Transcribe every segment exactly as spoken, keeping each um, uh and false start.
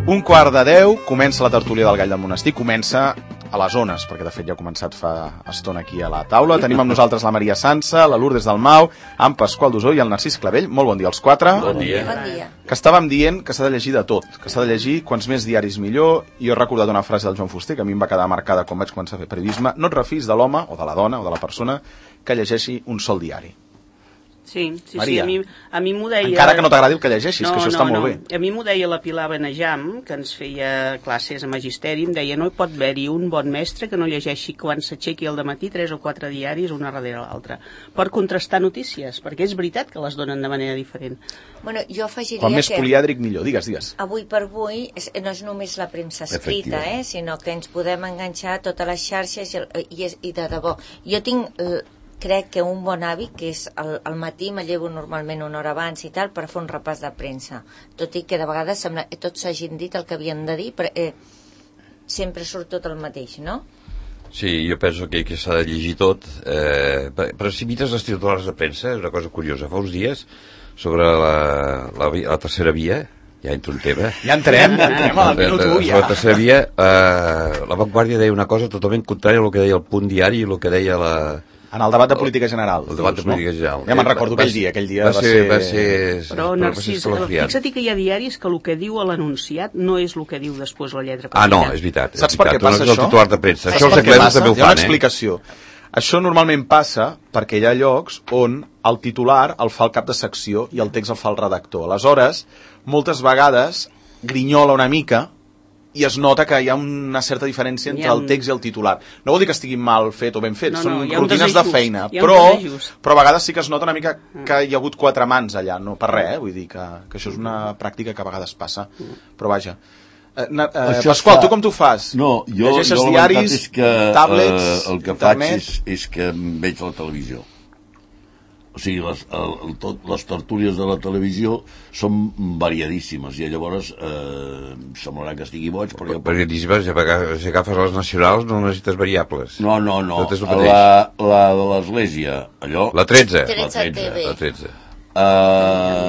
Un quart de deu, comença la tertúlia del Gall del Monestir, comença a les zones, perquè de fet ja ha començat fa estona aquí a la taula. Tenim amb nosaltres la Maria Sansa, la Lourdes Dalmau, en Pasqual Dusó i el Narcís Clavell. Molt bon dia als quatre. Bon dia. Bon dia. Que estàvem dient que s'ha de llegir de tot, que s'ha de llegir quants més diaris millor. I jo he recordat una frase del Joan Fuster que a mi em va quedar marcada quan vaig començar a fer periodisme: no et refis de l'home, o de la dona, o de la persona que llegeixi un sol diari. Sí, sí, Maria, sí, a mi, a mi m'ho deia... Encara que no t'agradi el que llegeixis, no, que això no, està no. molt bé. A mi m'ho deia la Pilar Benejam, que ens feia classes a magisteri, em deia: no hi pot haver-hi un bon mestre que no llegeixi quan s'aixequi al dematí tres o quatre diaris una darrere l'altra, per contrastar notícies, perquè és veritat que les donen de manera diferent. Bueno, jo afegiria Com més que polièdric millor, digues, digues. avui per avui és, no és només la premsa escrita, eh, sinó que ens podem enganxar a totes les xarxes i, i, i de debò. Jo tinc... Eh, crec que un bon hàbit, que és al, al matí me llevo normalment una hora abans i tal per fer un repàs de premsa, tot i que de vegades sembla que tots s'hagin dit el que havien de dir, però eh, sempre surt tot el mateix, no? Sí, jo penso que, que s'ha de llegir tot, eh, però si mires les titulars de premsa és una cosa curiosa. Fa uns dies, sobre la, la, la tercera via, ja entro un tema. Ja entrem, ja entrem al minut u, ja. La tercera via, eh, la Vanguardia deia una cosa totalment contrària al que deia el Punt Diari i el que deia la... En el debat de política general. El debat de política general. Ja me'n recordo aquell dia, aquell dia va va ser... Va ser, però, Narcís, fixa't que hi ha diaris que el que diu a l'anunciat no és el que diu després la lletra petita. Ah, no, és veritat. Saps per què passa això? El titular de premsa. Això els anglesos també ho fan, eh? Hi ha una explicació. Això normalment passa perquè hi ha llocs on el titular el fa el cap de secció i el text el fa el redactor. Aleshores, moltes vegades grinyola una mica i es nota que hi ha una certa diferència entre el text i el titular. No vol dir que estigui mal fet o ben fet, no, són no, rutines de feina, però, però a vegades sí que es nota una mica que hi ha hagut quatre mans allà, no per res, eh? Vull dir que, que això és una pràctica que a vegades passa, però vaja. Eh, eh, Pasqual, fa... tu com t'ho fas? No, jo, llegeixes jo diaris, és que, tablets, eh, el que internet... faig és, és que veig la televisió. O sigui, les, el, el, tot, les tertúlies de la televisió són variadíssimes i llavors eh, semblarà que estigui boig, però jo... Variadíssimes, si agafes les nacionals no necessites variables. No, no, no, la, la de l'Església, allò... La tretze. La tretze. La tretze. Uh,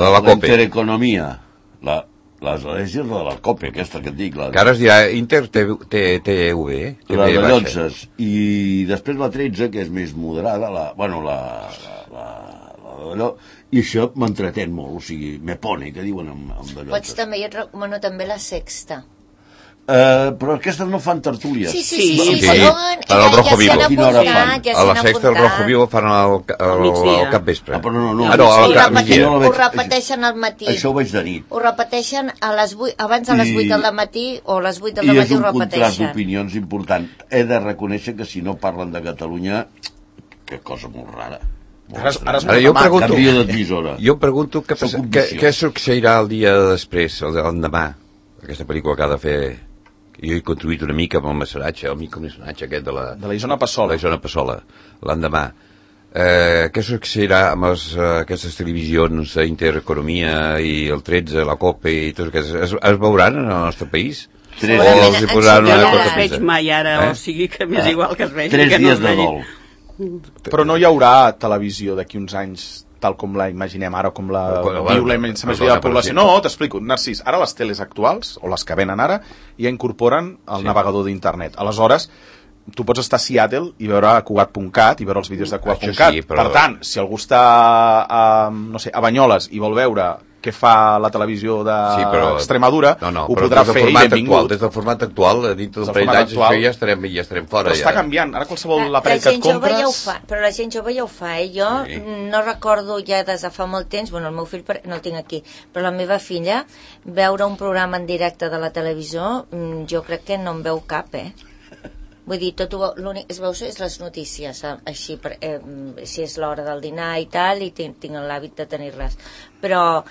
la la COPE. Intereconomia, la... L'Església és la de la COPE, aquesta que et dic. La... Que ara es dirà Inter T V, eh? La de Llotzes. I després la tretze, que és més moderada, la... Bueno, la... la, la allò, i això m'entretén molt, o sigui, me pone, que diuen amb, amb de Llotzes. Pots també, jo et recomano també la Sexta. Uh, però aquestes no fan tertúlies. Sí, sí, sí, sí, sí, sí. Fan, fan el Rojo Vivo. Ja s'hi han apuntat, ja a la Sexta el Rojo Vivo fan al, al, al capvespre. Ah, però no, no. Ah, no, ho, al repeteixen, no ho repeteixen al matí. Això ho veig de nit. Ho repeteixen a les vuit, abans a les vuit del matí o a les vuit del matí ho repeteixen. I és un contrast d'opinions important. He de reconèixer que si no parlen de Catalunya, que cosa molt rara. Ara, ara, ara jo, pregunto, jo em pregunto què, què, què succeirà el dia després, l'endemà, aquesta pel·lícula que ha de fer. Jo he contribuït una mica amb el mecenatge, el micromecenatge aquest de la... De la Isona Passola. La Isona Passola, l'endemà. Eh, què succeirà amb les, uh, aquestes televisions d'Intereconomia i el tretze, la COPE i tot aquests? Es, es veuran en el nostre país? Tres o els hi posaran una cosa veig mai ara, eh? O sigui que m'és igual que es vegi. Tres que dies no de dol. Però no hi haurà televisió d'aquí uns anys tal com la imaginem ara, com la viu la immensa majoria de la població. No, t'explico, Narcís, ara les teles actuals, o les que venen ara, ja incorporen el sí. navegador d'internet. Aleshores, tu pots estar a Seattle i veure Cugat punt cat i veure els vídeos de Cugat punt cat. Sí, però... Per tant, si algú està a, no sé, a Banyoles i vol veure què fa la televisió d'Extremadura, no, no, ho podrà fer i benvingut. Actual, des del format actual, dintre d'un parell d'anys, ja estarem, ja estarem fora. Però està ja. canviant, ara qualsevol l'aparell que et compres... Ja ho fa, però la gent jove ja ho fa, eh? Jo sí. no recordo ja des de fa molt temps, bueno, el meu fill no el tinc aquí, però la meva filla, veure un programa en directe de la televisió, jo crec que no en veu cap, eh? Vull dir, tot l'únic es veu és les notícies, així, per, eh, si és l'hora del dinar i tal, i tinc, tinc l'hàbit de tenir-les. Però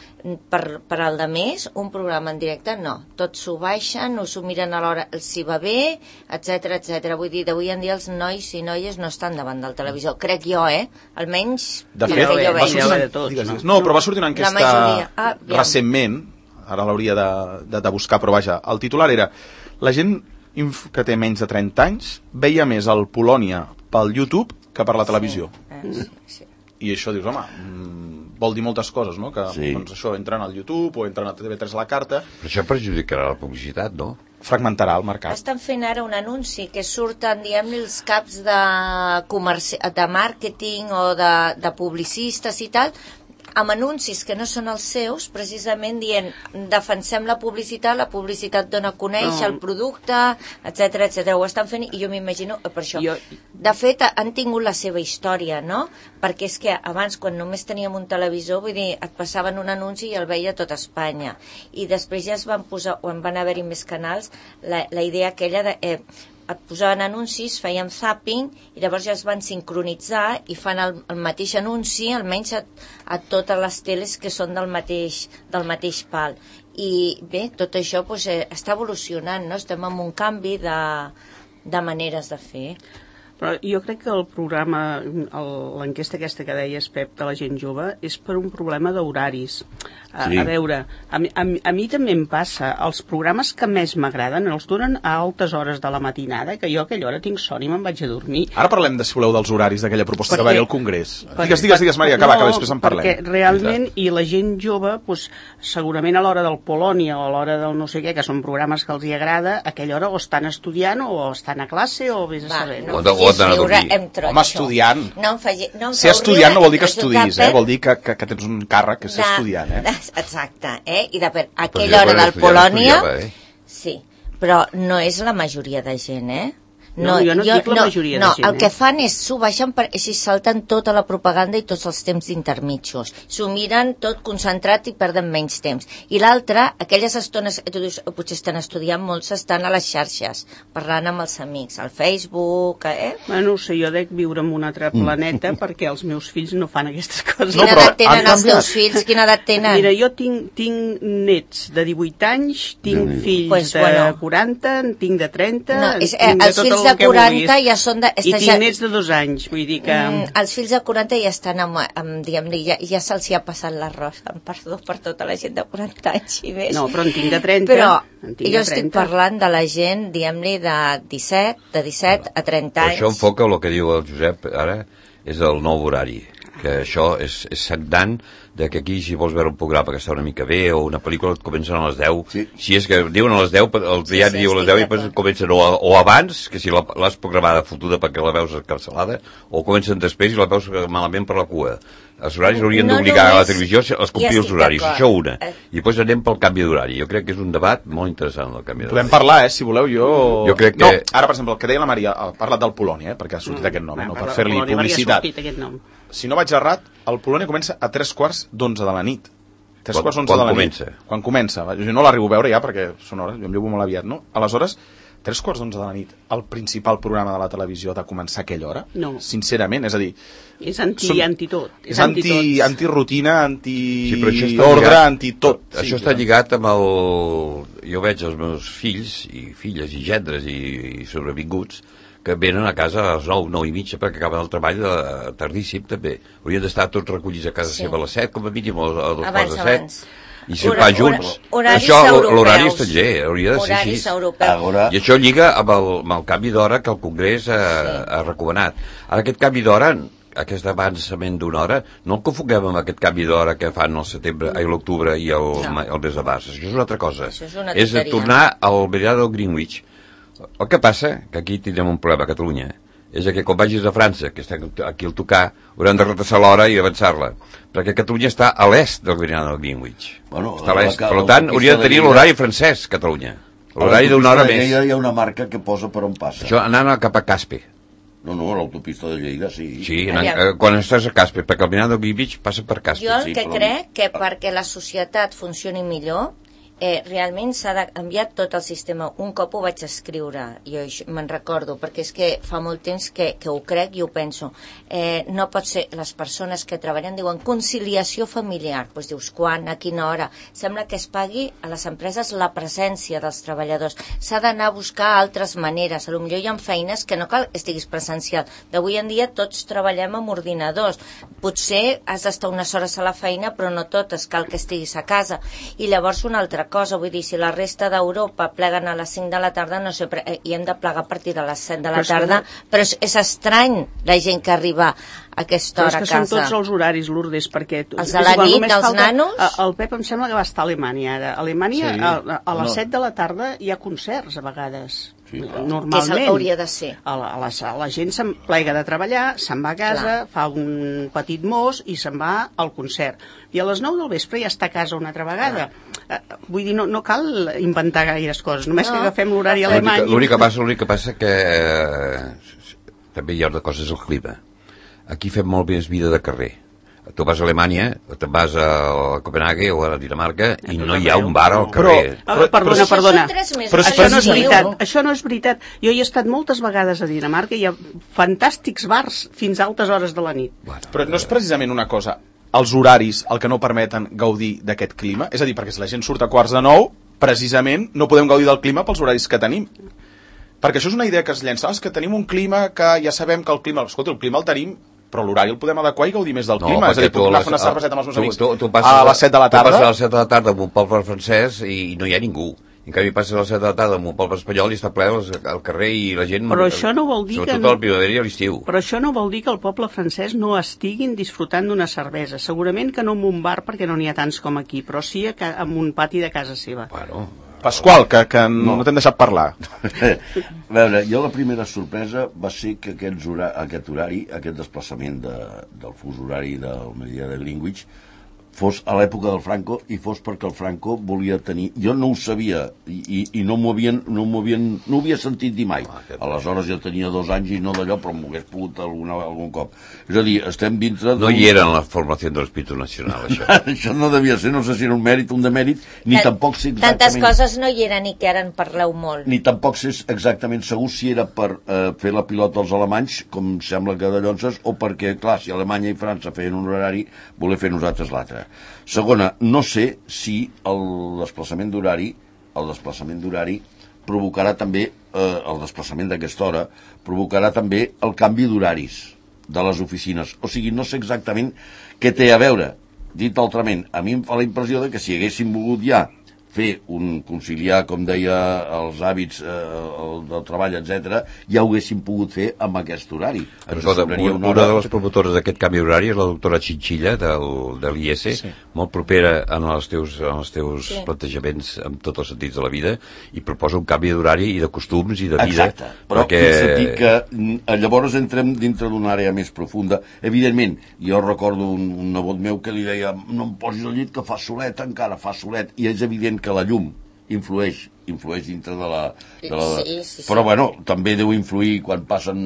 per, per al de més, un programa en directe, no. Tots s'ho baixen, o s'ho miren a l'hora, si va bé, etcètera, etcètera. Vull dir, d'avui en dia els nois i noies no estan davant del televisor. Crec jo, eh? Almenys... De fet, jo va sortir una, tots, digues, no? no, però va sortir una enquesta ah, recentment, ara l'hauria de, de, de buscar, però vaja, el titular era la gent que té menys de trenta anys veia més el Polònia pel YouTube que per la televisió. Sí, sí, sí. I això dius, home, vol dir moltes coses, no? Que sí. doncs això, entren al YouTube o entren a T V tres a la carta. Però això perjudicarà la publicitat, no? Fragmentarà el mercat. Estan fent ara un anunci que surten, diguem-ne, els caps de, comerci... de màrqueting o de, de publicistes i tal, amb anuncis que no són els seus, precisament dient defensem la publicitat, la publicitat dona a conèixer no. el producte, etcètera, etcètera. Ho estan fent i jo m'imagino per això. Jo... De fet, han tingut la seva història, no? Perquè és que abans, quan només teníem un televisor, vull dir, et passaven un anunci i el veia tot Espanya. I després ja es van posar, quan van haver-hi més canals, la, la idea aquella de... Eh, et posaven anuncis, fèiem zapping i llavors ja es van sincronitzar i fan el, el mateix anunci almenys a, a totes les teles que són del mateix, del mateix pal. I bé, tot això pues, eh, està evolucionant, no? Estem en un canvi de, de maneres de fer. Però jo crec que el programa, l'enquesta aquesta que deies, Pep, de la gent jove, és per un problema d'horaris. A, sí. a veure, a mi, a, mi, a mi també em passa, els programes que més m'agraden els donen a altes hores de la matinada, que jo a aquella hora tinc son i me'n vaig a dormir. Ara parlem, de, si voleu, dels horaris d'aquella proposta perquè, que va haver al Congrés. Perquè, digues, digues, digues, Maria, acaba, no, que després en parlem. Perquè realment, i la gent jove, doncs, segurament a l'hora del Polònia o a l'hora del no sé què, que són programes que els hi agrada, a aquella hora o estan estudiant o estan a classe o vés a saber. No, no, o de riure, Home, estudiant. No em faci, no em ser estudiant no vol dir que estudis, eh? Vol dir que, que, que tens un càrrec que ser de, estudiant, eh? Exacte, eh? I de per aquella hora del Polònia... Eh? Sí, però no és la majoria de gent, eh? No, no, jo no jo, dic la no, majoria no, de gent. El eh? que fan és s'ho baixen per, i salten tota la propaganda i tots els temps d'intermitjos. S'ho miren tot concentrat i perden menys temps. I l'altre, aquelles estones, tu dius, potser estan estudiant, molts estan a les xarxes, parlant amb els amics, al Facebook, eh? Bueno, no sé, jo dec viure en un altre planeta mm. perquè els meus fills no fan aquestes coses. Quina no, edat tenen els teus fills? Quina edat tenen? Mira, jo tinc, tinc nets de divuit anys, tinc mm. fills pues, de bueno. quaranta, en tinc de trenta, no, és, eh, tinc de tot el de quaranta ja són de... I tinc nets de dos anys, vull dir que... Mm, els fills de quaranta ja estan amb, amb diguem-ne, ja, ja se'ls hi ha passat l'arròs, amb perdó per tota la gent de quaranta anys i més. No, però en tinc de trenta. Però tinc jo estic parlant de la gent, diguem-ne, de disset, de disset a trenta anys. Això enfoca el que diu el Josep ara, és el nou horari, que això és, és sagnant de que aquí si vols veure un programa que està una mica bé o una pel·lícula et comencen a les deu sí. Si és que diuen a les deu, el diari sí, sí, diu a les deu i després comencen o, o abans, que si l'has programada fotuda perquè la veus cancel·lada, o comencen després i la veus malament per la cua. Els horaris haurien no d'obligar a la televisió a complir els horaris, això una. I després anem pel canvi d'horari. Jo crec que és un debat molt interessant el canvi d'horari. Podem parlar, eh, si voleu, jo... Jo crec que... No, ara, per exemple, el que deia la Maria, ha parlat del Polònia, eh, perquè ha sortit no, aquest nom, eh, no, per fer-li publicitat. Si no vaig errat, el Polònia comença a tres quarts d'onze de la nit. Tres quan, quarts d'onze de la comença? nit. Quan comença? Jo no l'arribo a veure ja, perquè són hores, jo em llevo molt aviat, no? Aleshores, tres quarts d'onze de la nit, el principal programa de la televisió ha de començar a aquella hora? No. Sincerament, és a dir... És anti, són, anti tot. És, és anti, anti, anti-rutina, anti-ordre, sí, anti-tot. Sí, això està lligat amb el... Jo veig els meus fills i filles i gendres i, i sobrevinguts que venen a casa a les nou, nou i mitja perquè acaben el treball de, tardíssim també. Haurien d'estar tots recollits a casa sí. seva a les set, com a mínim a dos quarts de set. I si va junts. Això, l'horari estranger, hauria de ser així. Agora... I això lliga amb el, amb el canvi d'hora que el Congrés ha, sí. ha recomanat. Ara, aquest canvi d'hora, aquest avançament d'una hora, no el confonguem amb aquest canvi d'hora que fan al setembre, a l'octubre i el, no. el mes de març. Això és una altra cosa. Això és una és tornar al meridià del Greenwich. El que passa, que aquí tindrem un problema a Catalunya, és que quan vagis a França, que estem aquí al tocar, haurem de retrasar l'hora i avançar-la, perquè Catalunya està a l'est del meridià del Greenwich. Bueno, està a l'est. Per tant, hauria de tenir l'horari francès, Catalunya. L'horari d'una hora més. Hi ha una marca que posa per on passa. Això anant cap a Caspe. No, no, l'autopista de Lleida, sí. Sí, anant, eh, quan estàs a Caspe, perquè el meridià del Greenwich passa per Caspe. Jo el sí, que però... crec que perquè la societat funcioni millor, Eh, realment s'ha de canviar tot el sistema. Un cop ho vaig escriure, jo me'n recordo, perquè és que fa molt temps que, que ho crec i ho penso. Eh, no pot ser, les persones que treballen diuen conciliació familiar, doncs dius quan, a quina hora. Sembla que es pagui a les empreses la presència dels treballadors. S'ha d'anar a buscar altres maneres. A lo millor hi ha feines que no cal que estiguis presencial. D'avui en dia tots treballem amb ordinadors. Potser has d'estar unes hores a la feina, però no totes, cal que estiguis a casa. I llavors una altra cosa, vull dir, si la resta d'Europa pleguen a les cinc de la tarda, no sé, i hem de plegar a partir de les set de la tarda, però és, és estrany la gent que arriba a aquesta hora a casa. Però és que són tots els horaris, Lourdes, perquè... Els de la nit, dels nanos? El Pep em sembla que va estar a Alemanya ara. A Alemanya, a, a les set de la tarda hi ha concerts, a vegades. Sí, normalment. Que és el que hauria de ser. A la, a la, a la gent se'n plega de treballar, se'n va a casa, clar, fa un petit mos i se'n va al concert. I a les nou del vespre ja està a casa una altra vegada. Uh, vull dir, no, no cal inventar gaires coses, només no. que agafem l'horari alemany. L'únic que passa, l'únic que passa que eh, també hi ha una cosa, és el clima. Aquí fem molt més vida de carrer. Tu vas a Alemanya, te'n vas a Copenhague o a Dinamarca i no hi ha un bar al carrer. Però, però, perdona, perdona. Però això no és veritat. Això no és veritat. Jo hi he estat moltes vegades a Dinamarca i hi ha fantàstics bars fins a altes hores de la nit. Però no és precisament una cosa, els horaris el que no permeten gaudir d'aquest clima? És a dir, perquè si la gent surt a quarts de nou, precisament no podem gaudir del clima pels horaris que tenim. Perquè això és una idea que es llença. És que tenim un clima que ja sabem que el clima... Escolta, el clima el tenim, però l'horari el podem adequar i gaudir més del clima. No, és a dir, puc anar a fer una cerveseta amb els meus amics tu, tu, tu a les set de la tarda. Tu passes a les set de la tarda en un poble francès i no hi ha ningú. En canvi passes a les set de la tarda en un poble espanyol i està ple al carrer i la gent... Però això no vol dir que... Sobretot al primavera i a l'estiu. Però això no vol dir que el poble francès no estiguin disfrutant d'una cervesa. Segurament que no en un bar perquè no n'hi ha tants com aquí, però sí en un pati de casa seva. Bueno... Pasqual, que, que no, no t'hem deixat parlar. A veure, jo la primera sorpresa va ser que aquest horari, aquest, horari, aquest desplaçament de, del fus horari del meridià de Greenwich fos a l'època del Franco i fos perquè el Franco volia tenir... Jo no ho sabia i, i, i no m'ho havien, no m'ho havien, no ho havia sentit dir mai. Aleshores jo tenia dos anys i no d'allò, però m'ho hagués pogut alguna, algun cop. És a dir, estem dintre... No hi era en la formació de l'espíritu nacional, això. Això no devia ser, no sé si era un mèrit, un demèrit, ni Tant, tampoc sé exactament... Tantes coses no hi eren i que ara en parleu molt. Ni tampoc sé exactament segur si era per eh, fer la pilota als alemanys, com sembla que de Llonses, o perquè, clar, si Alemanya i França feien un horari, voler fer nosaltres l'altre. Segona, no sé si el desplaçament d'horari el desplaçament d'horari provocarà també, eh, el desplaçament d'aquesta hora, provocarà també el canvi d'horaris de les oficines. O sigui, no sé exactament què té a veure. Dit altrament, a mi em fa la impressió de que si haguéssim volgut ja fer un conciliar, com deia, els hàbits eh, el, del treball, etcètera, ja ho haguéssim pogut fer amb aquest horari. Escolta, una, una hora... de les promotores d'aquest canvi horari és la doctora Chinchilla del, de l'I S, sí. Molt propera en els teus, en els teus sí. plantejaments en tots els sentits de la vida i proposa un canvi d'horari i de costums i de vida. Exacte, però perquè... sentit que llavors entrem dintre d'una àrea més profunda. Evidentment, jo recordo un, un nebot meu que li deia no em posis al llit que fa solet encara, fa solet, i és evident que la llum influeix, influeix dintre de la... De la... Sí, sí, sí. Però, bueno, també deu influir quan passen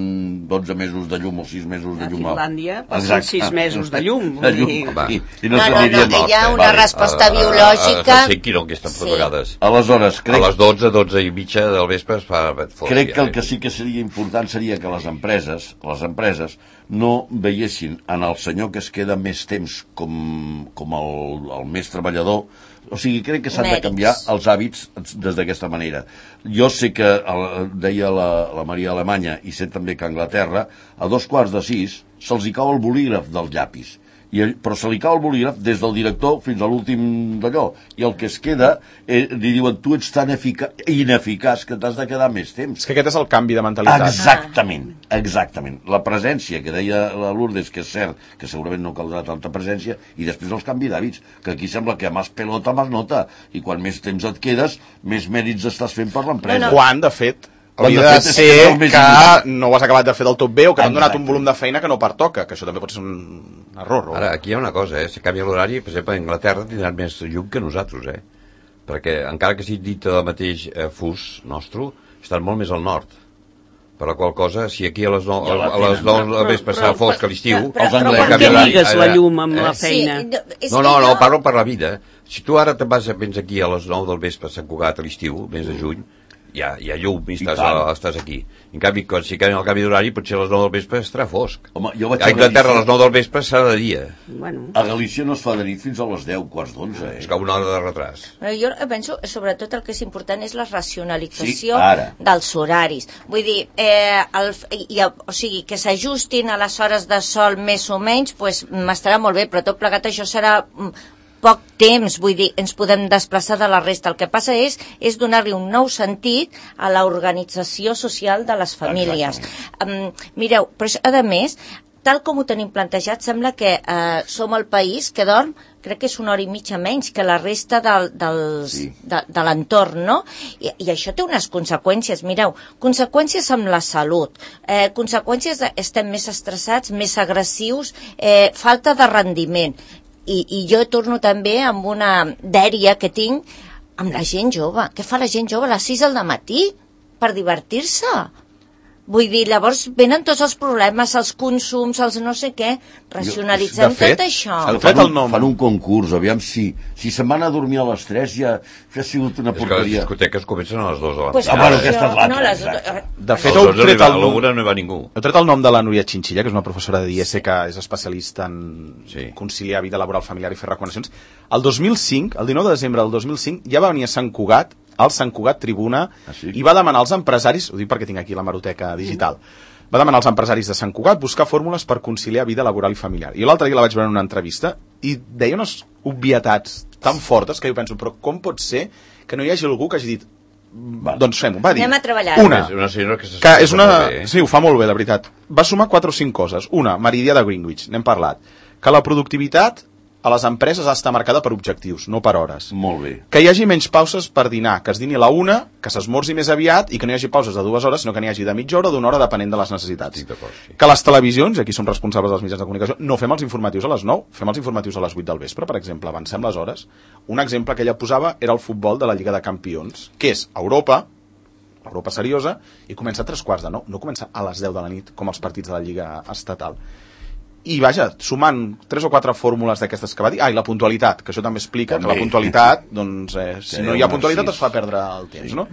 dotze mesos de llum o sis mesos de llum. A Finlàndia passen Exacte. sis mesos de llum. De llum. I, i no, no, no, no, no, hi ha una vale. resposta uh, biològica... A Helsinki no, que estan sí. vegades. Aleshores, crec... A les dotze, dotze i mitja del vespre es fa... Crec que el que sí que seria important seria que les empreses, les empreses no veiessin en el senyor que es queda més temps com, com el, el més treballador. O sigui, crec que s'han de canviar els hàbits des d'aquesta manera. Jo sé que, el, deia la, la Maria Alemanya, i sé també que a Anglaterra, a dos quarts de sis se'ls hi cau el bolígraf dels llapis. I, però se li cau el bolígraf des del director fins a l'últim d'allò. I el que es queda, eh, li diuen, tu ets tan ineficaç que t'has de quedar més temps. És que aquest és el canvi de mentalitat. Exactament, exactament. La presència, que deia la Lourdes, que és cert, que segurament no caldrà tanta presència, i després els canvi d'hàbits, que aquí sembla que més pelota, més nota, i quan més temps et quedes, més mèrits estàs fent per l'empresa. No, no. Quan, de fet... Hauria de ser que, que no ho has acabat de fer del tot bé o que t'han donat un volum de feina que no pertoca, que això també pot ser un error. O... Ara, aquí hi ha una cosa, eh? Si canvia l'horari, per exemple, a Anglaterra tindran més llum que nosaltres, eh? Perquè, encara que sigui dit el mateix eh, fus nostre, estan molt més al nord. Per la qual cosa, si aquí a les nou del vespre s'ha fosc a l'estiu... Però per què lligues la llum amb la feina? No, no, no, parlo per la vida. Si tu ara te'n vas a vens aquí a les nou del vespre a Sant Cugat a l'estiu, mes de juny, hi ha, hi ha llum i estàs, a, estàs aquí. En canvi, quan si canvia el canvi d'horari, potser a les nou del vespre estarà fosc. Home, jo vaig a Anglaterra a les nou del vespre serà de dia. Bueno. A Galícia no es fa de nit fins a les deu, quarts d'onze. Eh? És que una hora de retras. Però jo penso, sobretot el que és important és la racionalització sí, dels horaris. Vull dir, eh, el, i, o sigui, que s'ajustin a les hores de sol més o menys, pues, m'estarà molt bé, però tot plegat això serà poc temps, vull dir, ens podem desplaçar de la resta. El que passa és, és donar-li un nou sentit a l'organització social de les famílies. Um, mireu, però a més, tal com ho tenim plantejat, sembla que eh, som el país que dorm, crec que és una hora i mitja menys que la resta del, dels, sí. de, de l'entorn, no? I, I això té unes conseqüències, mireu, conseqüències amb la salut, eh, conseqüències de, estem més estressats, més agressius, eh, falta de rendiment. I, I jo torno també amb una dèria que tinc amb la gent jove. Què fa la gent jove a les sis del matí per divertir-se? Vull dir, llavors venen tots els problemes, els consums, els no sé què, racionalitzem de fet, tot això. Fan un, fan un concurs, aviam si, si se'n van a dormir a les tres ja, ja ha sigut una porqueria. És que les discoteques comencen a les dues de la pues, ah, bueno, aquesta és l'altra. No, les... De fet, heu tret, el nom, no hi va ningú. heu tret el nom de la Núria Chinchilla, que és una professora de I S que és especialista en sí. conciliar vida laboral familiar i fer recomanacions. El dos mil cinc, el dinou de desembre del dos mil cinc, ja va venir a Sant Cugat, al Sant Cugat Tribuna, ah, sí? i va demanar als empresaris, ho dic perquè tinc aquí la maroteca digital, va demanar als empresaris de Sant Cugat buscar fórmules per conciliar vida laboral i familiar. I l'altre dia la vaig veure en una entrevista i deia unes obvietats tan fortes que jo penso, però com pot ser que no hi hagi algú que hagi dit va. Doncs fem-ho, va dir. Anem a treballar. Una, una senyora que, que és una... Sí, ho fa molt bé, la veritat. Va sumar quatre o cinc coses. Una, meridià de Greenwich, n'hem parlat. Que la productivitat a les empreses ha d'estar marcada per objectius, no per hores. Molt bé. Que hi hagi menys pauses per dinar, que es dini a la una, que s'esmorzi més aviat i que no hi hagi pauses de dues hores, sinó que n'hi hagi de mitja hora o d'una hora depenent de les necessitats. Sí. Que les televisions, i aquí som responsables dels mitjans de comunicació, no fem els informatius a les nou, fem els informatius a les vuit del vespre, per exemple, avancem les hores. Un exemple que ella posava era el futbol de la Lliga de Campions, que és Europa, Europa seriosa, i comença a tres quarts de nou, no comença a les deu de la nit, com els partits de la Lliga estatal. I vaja, sumant tres o quatre fórmules d'aquestes que va dir, ah, i la puntualitat, que això també explica també. Que la puntualitat, doncs, eh, si sí, no hi ha puntualitat es fa perdre el temps, sí. no?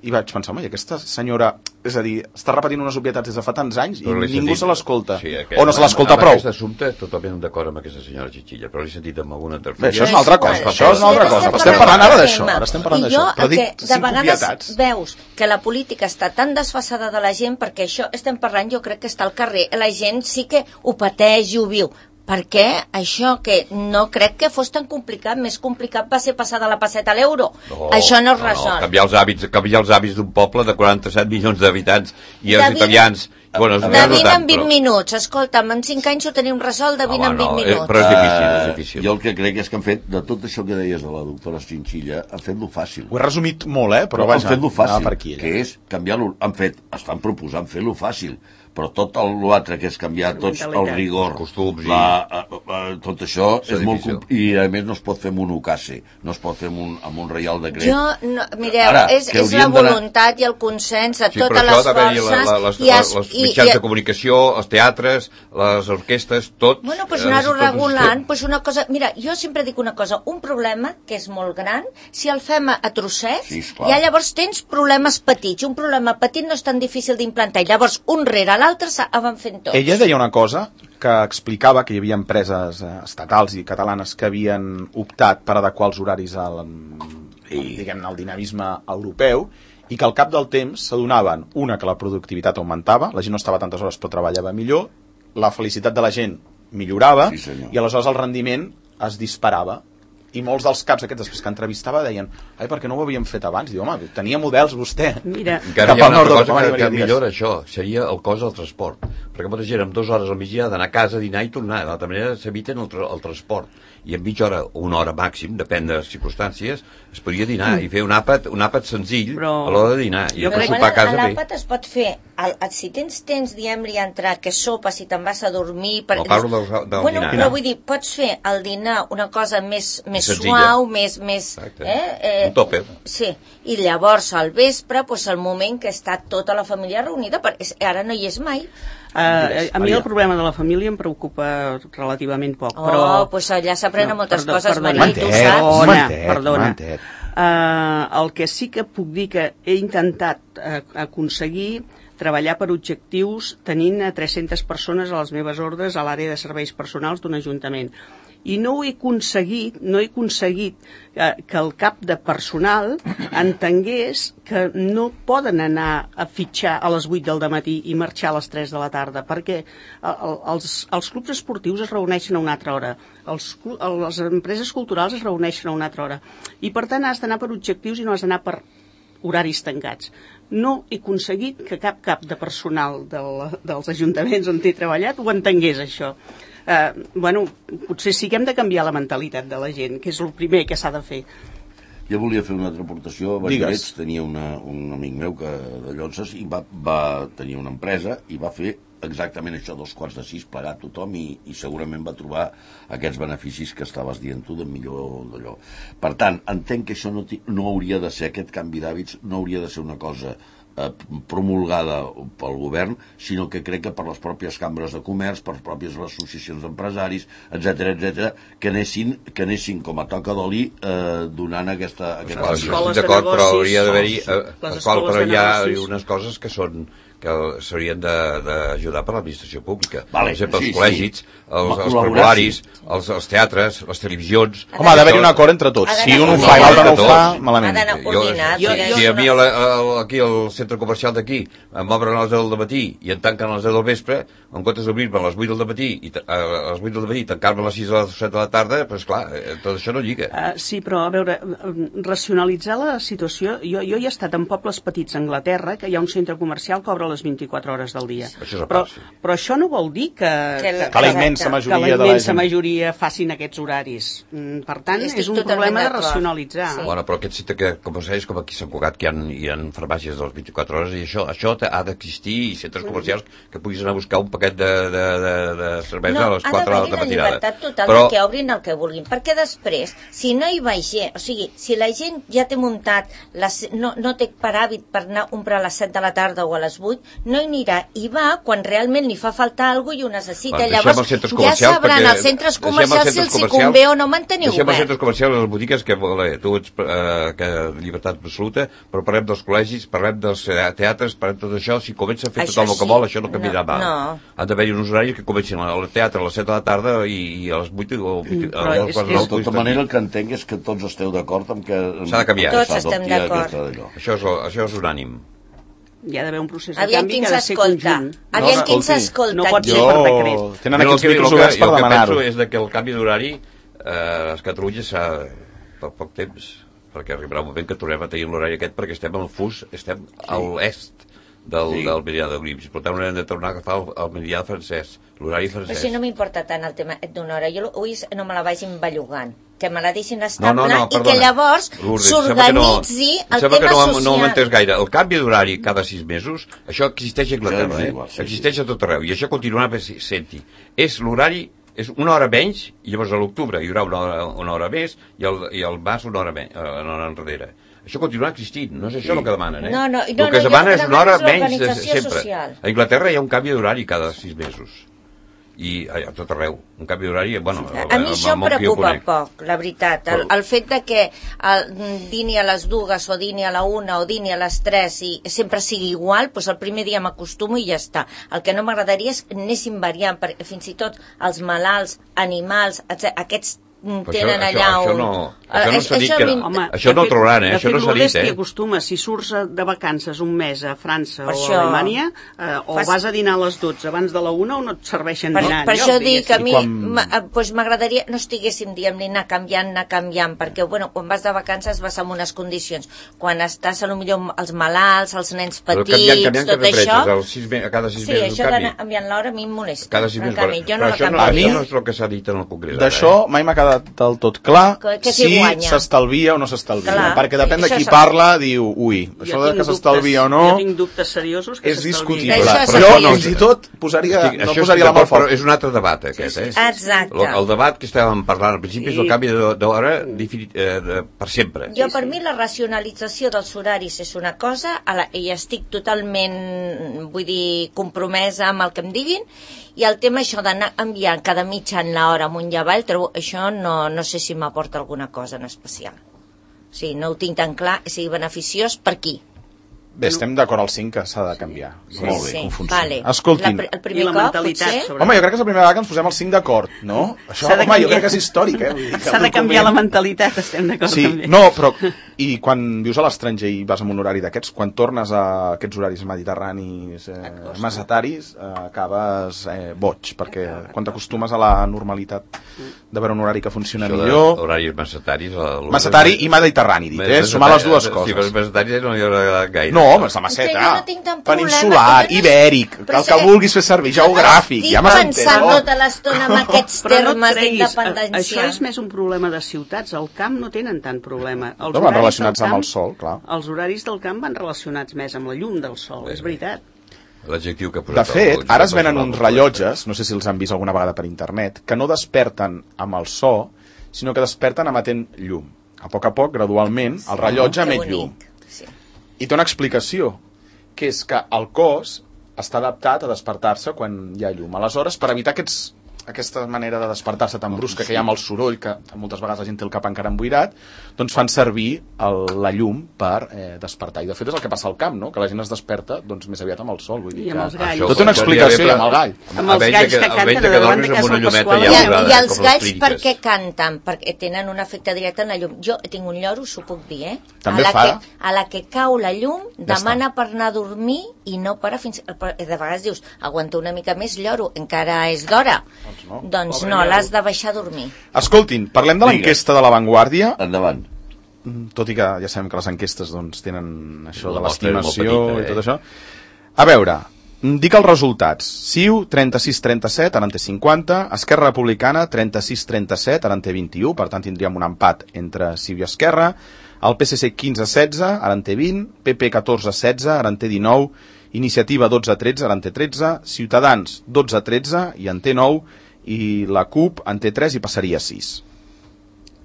I vaig pensar, home, i aquesta senyora, és a dir, està repetint unes obvietats des de fa tants anys però i ningú sentit, se l'escolta. Sí, o no se l'escolta prou. Aquest assumpte, totalment d'acord amb aquesta senyora Chinchilla, però l'he sentit amb alguna tertúlia. Bé, això és una altra cosa, això és una altra cosa. Estem parlant ara d'això, ara estem parlant d'això. Però dic cinc obvietats. Veus que la política està tan desfasada de la gent perquè això estem parlant, jo crec que està al carrer. La gent sí que ho pateix i ho viu. Perquè això que no crec que fos tan complicat, més complicat va ser passar de la passeta a l'euro. No, això no es resol. No, no. Canviar els hàbits, canviar els hàbits d'un poble de quaranta-set milions d'habitants i els italians... Bueno, de vint en vint però... minuts, escolta'm, en cinc anys ho tenim resolt de vint en vint minuts. Però és difícil, és difícil. Uh, jo el que crec és que han fet, de tot això que deies de la doctora Chinchilla, han fet-lo fàcil. Ho he resumit molt, eh? Però, però vaja, han fet-lo fàcil, per aquí, que és canviar-lo, han fet, estan proposant fer-lo fàcil, però tot l'altre que és canviar tots el rigor, els costums, la, a, a, tot això és, és molt i a més no es pot fer amb un ocase, no es pot fer amb un, amb un reial decret. Jo, no, mireu, Ara, és, és la voluntat i el consens de sí, totes les forces la, la, les, i es, les mitjans i, de comunicació, els teatres, les orquestes, tot. Bueno, doncs eh, anar-ho regulant, doncs una cosa, mira, jo sempre dic una cosa, un problema que és molt gran, si el fem a, a trossets, sí, ja llavors tens problemes petits, un problema petit no és tan difícil d'implantar, i llavors un rere l'altre van fent tots. Ella deia una cosa que explicava que hi havia empreses estatals i catalanes que havien optat per adequar els horaris al, diguem-ne, al dinamisme europeu i que al cap del temps s'adonaven, una, que la productivitat augmentava, la gent no estava tantes hores però treballava millor, la felicitat de la gent millorava sí, i aleshores el rendiment es disparava. I molts dels caps aquests després que entrevistava deien ai, per què no ho havíem fet abans? Diu, home, tenia models vostè. Mira, encara hi ha una altra cosa que, que millora això, seria el cost del transport. Perquè molta gent amb dues hores al migdia d'anar a casa, dinar i tornar. De l'altra manera s'eviten el, tra el transport. I en mitja hora o una hora màxim, depèn de les circumstàncies, es podria dinar mm. i fer un àpat, un àpat senzill però... a l'hora de dinar. I després sopar a casa bé. L'àpat es pot fer, el, el, si tens temps, diem-li a entrar, que sopa, si te'n vas a dormir... Per... No, parlo del, del bueno, dinar. Però vull dir, pots fer al dinar una cosa més, més suau, més... més eh, eh, un tòper. Sí, i llavors al vespre, pues, el moment que està tota la família reunida, perquè ara no hi és mai. Uh, a mi el problema de la família em preocupa relativament poc, oh, però... Oh, pues allà s'aprenen no, moltes perdó, coses, Maria, i tu saps. Perdona, perdona. Uh, el que sí que puc dir que he intentat uh, aconseguir treballar per objectius tenint a tres-centes persones a les meves ordres a l'àrea de serveis personals d'un ajuntament. I no ho he aconseguit, no he aconseguit que, que el cap de personal entengués que no poden anar a fitxar a les vuit del dematí i marxar a les tres de la tarda, perquè els, els clubs esportius es reuneixen a una altra hora, els, les empreses culturals es reuneixen a una altra hora, i per tant has d'anar per objectius i no has d'anar per horaris tancats. No he aconseguit que cap cap de personal del, dels ajuntaments on he treballat ho entengués, això. Uh, bueno, potser sí que hem de canviar la mentalitat de la gent, que és el primer que s'ha de fer. Jo volia fer una altra aportació. A Valladolid tenia una, un amic meu que, de Llonses, i va, va tenir una empresa i va fer exactament això, dos quarts de sis, plegar tothom, i, i segurament va trobar aquests beneficis que estaves dient tu, de millor d'allò. Per tant, entenc que això no, no hauria de ser, aquest canvi d'hàbits no hauria de ser una cosa promulgada pel govern, sinó que crec que per les pròpies cambres de comerç, per les pròpies associacions d'empresaris, etcètera, etcètera, que anessin, que anessin com a toca d'oli eh, donant aquesta... aquesta estic d'acord, però hauria d'haver-hi... Eh, però hi ha unes coses que són que s'haurien d'ajudar per l'administració pública. Vale, per exemple, sí, els col·legis, sí. els, els prepararis, els, els teatres, les televisions... Home, ha d'haver-hi un acord entre tots. Si un ho fa i l'altre no ho fa, malament. Ha d'anar coordinat. Jo, jo, si a mi el, el, aquí al centre comercial d'aquí m'obren a les deu del matí i en tanquen a les deu del vespre, en comptes d'obrir-me a les vuit del matí i a les vuit del matí tancar-me a les sis o les set de la tarda, doncs clar, tot això no lliga. Uh, sí, però a veure, racionalitzar la situació... Jo, jo hi he estat en pobles petits a Anglaterra, que hi ha un centre comercial que obre les vint-i-quatre hores del dia. Això però, però això no vol dir que, que, que, que la immensa majoria, que la immensa majoria facin aquests horaris. Per tant, és un problema de racionalitzar. Sí. Bueno, però aquest centre que, com sabeu, com aquí a Sant Cugat, que hi ha, hi ha farmàcies de les vint-i-quatre hores, i això, això ha d'existir, i centres comercials que puguis anar a buscar un paquet de, de, de, de cervesa no, a les quatre de la matinada. No, ha d'haver-hi la llibertat total però... de que obrin el que vulguin, perquè després, si no hi va gent, o sigui, si la gent ja té muntat, les, no, no té per hàbit per anar a comprar a les set de la tarda o a les vuit, no hi anirà, i va quan realment li fa faltar alguna cosa i ho necessita. Bueno, llavors ja sabran els centres comercials si els hi convé o no mantenir deixem obert. Els centres comercials i les botigues, que vale, tu ets eh, que llibertat absoluta, però parlem dels col·legis, parlem dels teatres, parlem de tot això. Si comença a fer això tot el sí. que vol, això no canviarà no, mal. No. Han d'haver-hi uns horaris que comencin al teatre a les set de la tarda i, i a les vuit o mm, a les quatre de la tarda. De tota manera, el que entenc és que tots esteu d'acord amb que... S'ha de canviar. Tots estem d'acord. Això és, això és unànim. Hi ha d'haver un procés de Aviam canvi que ha de ser conjunt. Aviam qui ens escolta. No pot ser per decret. Tenen aquests micros oberts per demanar-ho. El que penso és que el canvi d'horari eh, a Catalunya s'ha per poc temps, perquè arribarà un moment que tornem a tenir l'horari aquest, perquè estem al fus, estem sí. a l'est del, sí. del meridià de Greenwich. Per tant, haurem de tornar a agafar el, el meridià francès, l'horari francès. Però si no m'importa tant el tema d'una hora, jo avui no me la vagin bellugant, que me la deixin no, estable no, no, i que llavors s'organitzi no, el tema que no, social. No ho entès gaire. El canvi d'horari cada sis mesos, això existeix a Anglaterra, eh? Sí, existeix a tot arreu, i això continuarà sent-hi. És l'horari, és una hora menys, i llavors a l'octubre hi haurà una hora, una hora més, i al, i al març una hora, menys, una hora enrere. Això continuarà existint, no és això sí. el que demanen, eh? No, no, no, el que no, es demana és una hora menys de, sempre. Social. A Anglaterra hi ha un canvi d'horari cada sis mesos. I a tot arreu, un canvi d'horari, bueno... A mi això em preocupa poc, la veritat. El, el fet de que el, dini a les dues o dini a la una o dini a les tres i sempre sigui igual, doncs el primer dia m'acostumo i ja està. El que no m'agradaria és que anéssim variant, perquè fins i tot els malalts, animals, etcètera, aquests tenen això, allà això, un... no, això no s'ha dit que... Home, això no ho trobaran, eh? Això no s'ha dit, eh? De fet, acostuma, si surts de vacances un mes a França per o això, a Alemanya, eh, o fas... vas a dinar a les dotze abans de la una o no et serveixen per, dinar. Per això dic que a mi quan... pues, m'agradaria no estiguéssim dient anar canviant, anar canviant, perquè bueno, quan vas de vacances vas amb unes condicions. Quan estàs, potser els malalts, els nens petits, canviant, canviant tot això... Sis, a cada sis sí, mesos això d'anar canviant l'hora a mi em molesta. Cada sis mesos, canvi, jo no però això no, això no és el que s'ha dit en el Congrés. D'això eh? mai m'ha quedat del tot clar que, que si s'estalvia o no s'estalvia. Clar, perquè depèn de qui parla, diu, ui, això de que s'estalvia o no... Jo tinc dubtes seriosos que és s'estalvia. discutible. Però jo fins i tot posaria, no posaria la mà al foc. Però és un altre debat, aquest, eh? Exacte. El, el debat que estàvem parlant al principi és el canvi d'hora per sempre. Jo, per mi, la racionalització dels horaris és una cosa, i estic totalment, vull dir, compromesa amb el que em diguin, i el tema això d'anar enviant cada mitja en l'hora amunt i avall, això no, no sé si m'aporta alguna cosa en especial. O sigui, no ho tinc tan clar, sigui beneficiós per qui. Bé, estem d'acord al cinc que s'ha de canviar. Sí, Molt bé, sí. com funciona. Vale. Escoltin. La, el primer I la cop, mentalitat, potser... sobre- Home, jo crec que és la primera vegada que ens posem el cinc d'acord, no? Això, S'ha de home, jo canviar. crec que és històric, eh? Vull dir que S'ha el de canviar la document- mentalitat, estem d'acord Sí, també. no, però i quan vius a l'estranger i vas amb un horari d'aquests, quan tornes a aquests horaris mediterranis, eh, masataris, eh, acabes eh, boig, perquè quan t'acostumes a la normalitat de veure un horari que funciona Això de millor... horaris masataris... el- Masatari i mediterrani, dit, eh? Sumar les dues Sí, però coses. els masataris no hi haurà agradat gaire. No, home, és la És que maceta. jo no tinc tant problema, Peninsular, jo no- ibèric, Però el que és- vulguis fer servir, geogràfic, ja m'has Estic pensant entès. tota l'estona en aquests Però no et termes treguis, d'independència. això és més un problema de ciutats. Al camp no tenen tant problema. Els No, van horaris relacionats del amb camp- el sol, clar. Els horaris del camp van relacionats més amb la llum del sol, és veritat. L'adjectiu que ha De posat... fet, el- ara es el- venen el- uns rellotges, no sé si els han vist alguna vegada per internet, que no desperten amb el so, sinó que desperten emetent llum. A poc a poc, gradualment, el rellotge Que emet bonic. llum. Sí. I té una explicació, que és que el cos està adaptat a despertar-se quan hi ha llum. Aleshores, per evitar aquests, aquesta manera de despertar-se tan brusca que hi ha amb el soroll, que moltes vegades la gent té el cap encara emboirat, doncs fan servir el, la llum per eh, despertar. I de fet és el que passa al camp, no? Que la gent es desperta doncs, més aviat amb el sol. Vull dir I amb que... els galls. Això Tot té una podria explicació, haver- i amb el gall. Amb els Almenys galls que- que canten almenys a que davant dormis de amb casa una llumeta Pasqual. I, ja Ja, daurada, I els com les galls per clíniques. què canten? Perquè tenen un efecte directe en la llum. Jo tinc un lloro, s'ho puc dir, eh? També a la fa. Que, a la que cau la llum, Ja demana està. per anar a dormir i no para fins... per- De vegades dius, aguanta una mica més, lloro, encara és d'hora. Doncs no. Doncs Pobre no, lloro. l'has de deixar dormir. Escoltin, parlem de l'enquesta de La Vanguardia, Endavant. tot i que ja sabem que les enquestes doncs, tenen això La de mostra és molt l'estimació petita, i eh? tot això. A veure, dic els resultats. C I U, trenta-sis trenta-set, ara en té cinquanta. Esquerra Republicana, trenta-sis trenta-set, ara en té vint-i-u. Per tant, tindríem un empat entre C I U i Esquerra. El P S C, quinze setze, ara en té vint. P P, catorze setze, ara en té dinou. Iniciativa, dotze tretze, ara en té tretze. Ciutadans, dotze tretze, i en té nou. I la CUP en té tres i passaria a sis.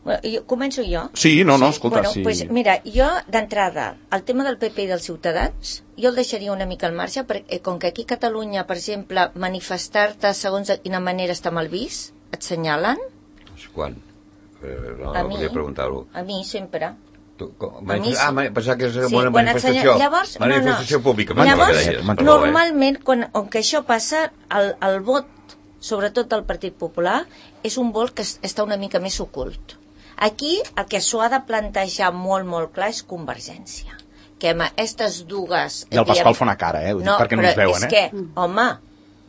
Bueno, jo, començo jo? Sí, no, no, escolta, bueno, sí. Pues, mira, jo, d'entrada, el tema del P P i dels Ciutadans, jo el deixaria una mica al marge, perquè com que aquí a Catalunya, per exemple, manifestar-te segons de quina manera està mal vist, et senyalen, Quan? Eh, No, a no mi, volia preguntar-ho. a mi sempre. Tu, com, A mi sí. Ah, ma- pensava que és Sí, una quan et manifestació. senyalen- Llavors, manifestació no, no. pública. Llavors, pensava que deies, perdó, eh? normalment, quan, on que això passa, el, el vot, sobretot del Partit Popular, és un vot que es- està una mica més ocult. Aquí el que s'ho ha de plantejar molt, molt clar és Convergència. Que amb aquestes dues... I el Pasqual fa una cara, eh? Vull dir, perquè no ens veuen, és eh? que, home,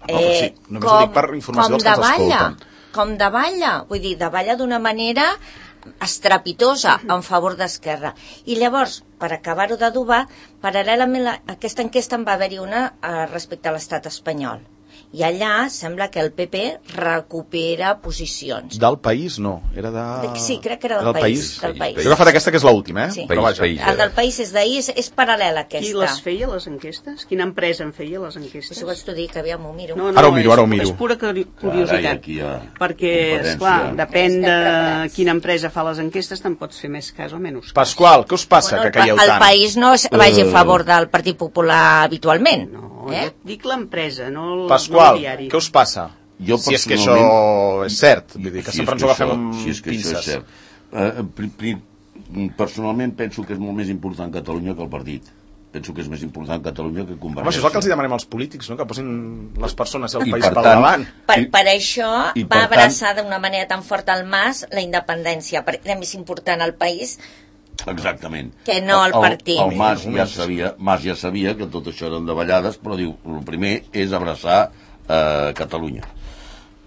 però eh, sí, només ho dic per informació com dels que ens davalla, escolten. com davalla, vull dir, davalla d'una manera estrepitosa en favor d'Esquerra. I llavors, per acabar-ho d'adobar, paral·lelament a aquesta enquesta en va haver-hi una eh, respecte a l'estat espanyol. I allà sembla que el P P recupera posicions. Del país, no. Era de... De- sí, crec que era del país, del país. Jo he agafat aquesta, que és l'última, eh? Sí. Però vaja. País, El del país és d'ahir, és, és paral·lel a Qui aquesta. les feia, les enquestes? Quina empresa en feia, les enquestes? Això vaig t'ho dir, que aviam, ho miro. No, no, Ara ho miro, és, ara ho miro. És pura curi- Carai, curiositat. aquí hi ha Perquè, competència. esclar, depèn Estem de preparats. quina empresa fa les enquestes, te'n pots fer més cas o menys cas. Pasqual, què us passa, Bueno, que el, pa- calleu el tant? país no es vagi a favor del Partit Popular habitualment. No, eh? jo et dic l'empresa, no el, Pasqual, no el diari. què us passa? Jo si és que personalment- això és cert, vull dir que Si sempre és ens ho agafem això- amb si és que això pinces. és cert. Eh, pri, pri, personalment penso que és molt més important Catalunya que el partit. Penso que és més important Catalunya que Home, Convergència. això és el que els hi demanem als polítics, no? Que posin les persones i el I país per per tant- davant. Per, I- per això i va per tant- abraçar d'una manera tan forta el Mas la independència, perquè era més important el país. Exactament. Que no el partit. El, el Mas ja sabia, Mas ja sabia que tot això eren davallades, però diu, el primer és abraçar eh, Catalunya.